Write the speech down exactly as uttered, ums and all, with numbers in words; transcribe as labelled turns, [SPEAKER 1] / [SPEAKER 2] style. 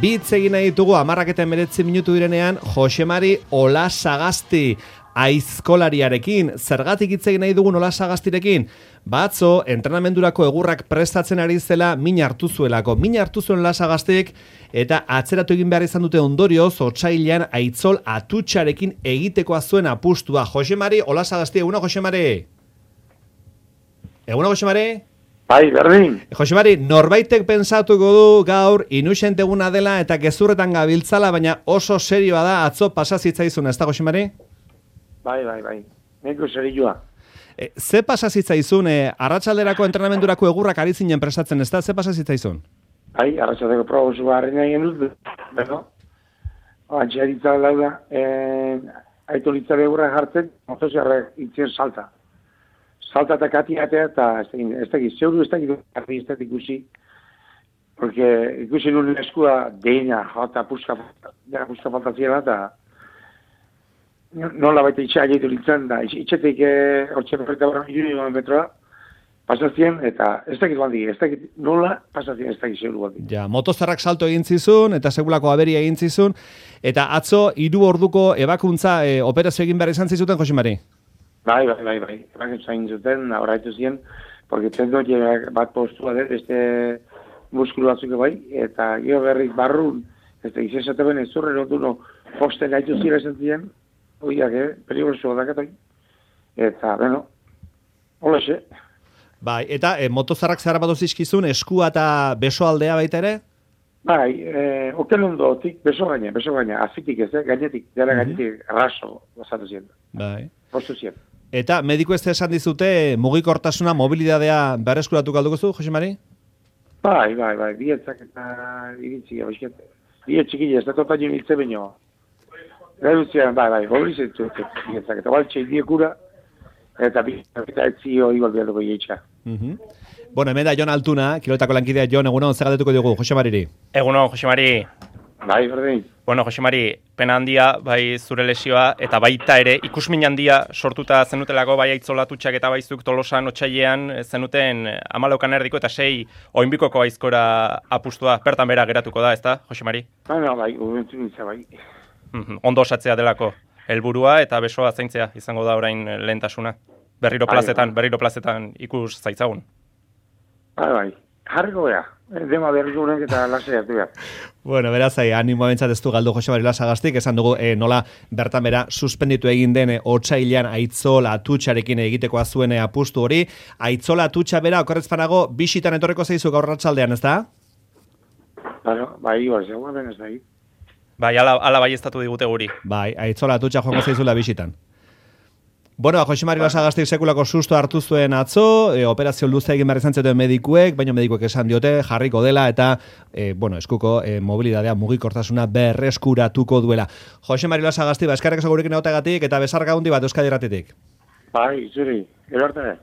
[SPEAKER 1] Bitz egin nahi ditugu hamarrak eta hemeretzi minutu direnean Josemari Olasagasti aizkolariarekin. Zergatik hitz egin nahi dugun Olasagastirekin? Batzo, entrenamendurako egurrak prestatzen ari zela min hartu zuelako. Min hartu zuen Olasagastik eta atzeratu egin behar izan dute ondorioz, otsailean Aitzol Atutxarekin egitekoa zuen apustua. Josemari Olasagasti, eguna Josemari? Eguna Josemari?
[SPEAKER 2] Bai, berdin.
[SPEAKER 1] Josemari, norbaitek pentsatuko du gaur inusent eguna dela eta gezurretan gabiltzala, baina oso serioa da atzo pasa zitzaizun, ez da Josemari?
[SPEAKER 2] Bai, bai, bai. Neko serioa.
[SPEAKER 1] E, ze pasa zitzaizun, e, arratsalderako entrenamendurako egurrak ari zinen prestatzen, ez da? Ze pasa zitzaizun?
[SPEAKER 2] Bai, arratsaldeko probozu harri nahi genuz, beno. Antxearitza lauda, eh, aitolitzare egurrak jartzen, motoziarrak itzen salta. Salta eta katiatea, eta ez da giz, zeuru ez da giz, arri ez da ikusi, porque ikusi nuen eskua deina, jota, puska, dena puska faltaziela, eta nola baita itxea gaitu litzen, da itxetik hortxe perfecta barra milioi metroa, pasazien, eta ez dakit baldi, ez dakit nola pasazien, ez dakit zeuru baldi.
[SPEAKER 1] Ja, motozarrak salto egin zizun, eta segulako aberia egin zizun, eta atzo hiru orduko ebakuntza e, operazio egin behar izan zizuten, Josemari?
[SPEAKER 2] Bai, bai, bai, bai, ebakuntza egin zuten, horretu ziren, porque tendo bat postua dut, este muskulu batzuk bai, eta gero berriz barrun, ez da izesate ben ez zurren, otu no, posten gaitu zira esan ziren, oiak, eh, peligroso dakatoi, eta, bueno, hola xe.
[SPEAKER 1] Bai, eta e, motozarrak zehar bat zizkizun, eskua eta beso aldea baita ere?
[SPEAKER 2] Bai, eh, oken ondotik, beso gaina, beso gaina, azitik ez, eh, gainetik, dara gainetik, raso, basatu ziren.
[SPEAKER 1] Bai.
[SPEAKER 2] Postu ziren.
[SPEAKER 1] Eta mediku ez esan dizute mugikortasuna, mobilidadea berreskuratu galduko zu, Josemari?
[SPEAKER 2] Bai, bai, bai, bietzak eta iritzi, abizket. Biet txikile, ez da tota jo niltze baino. Reduzioan, bai, bai, mobilizatu bietzak, eta baltxe idiekura, eta bietzak eta etzio igual bialduko jeitxa.
[SPEAKER 1] Uh-huh. Bueno, hemen da Jon Altuna, kiloetako lankidea Jon, egunon, zer galdetuko diogu, Josemariri?
[SPEAKER 3] Egunon, Josemari.
[SPEAKER 2] Bai, berdin.
[SPEAKER 3] Bueno, Josemari, pena handia, bai zure lesioa, eta baita ere, ikusmin handia sortuta zenutelako, bai aitzolatutxak eta baizuk Tolosan otsailean zenuten amalaukan erdiko eta sei oinbikoko aizkora apustua, bertan bera geratuko da, ezta, Josemari?
[SPEAKER 2] Bai, no, bai, ubentu nintza, bai.
[SPEAKER 3] Ondo osatzea delako, helburua eta besoa zaintzea izango da orain lehentasuna. Berriro plazetan, berriro plazetan ikus zaitzagun.
[SPEAKER 2] Bai, bai, jarriko beha. Dema berriko urenk eta lasea du behar.
[SPEAKER 1] Bueno, beraz, animo bentsat ez du galdu Josemari Olasagastik, esan dugu e, nola bertan bera suspenditu egin den e, otsailean Aitzol Atutxarekin egitekoa zuen e, apustu hori. Aitzol Atutxa bera, okorrez panago, bisitan etorreko zeizu gaur arratsaldean, ez da?
[SPEAKER 2] Bueno, bai, bai, zegoen ben ez da.
[SPEAKER 3] Bai, ala, ala bai estatu digute guri.
[SPEAKER 1] Bai, Aitzol Atutxa joango zeizula bisitan. Bueno, Josemari Olasagastik sekulako susto hartu zuen atzo, e, operazio luze egin behar izan zuten medikuek, baina medikuek esan diote jarriko dela eta e, bueno, eskuko e, mobilidadea mugikortasuna berreskuratuko duela. Josemari Olasagastik, ba, eskarrak esagurekin egoteagatik eta besarka handi bat Euskadi Irratitik.
[SPEAKER 2] Bai, zuri, gero arte.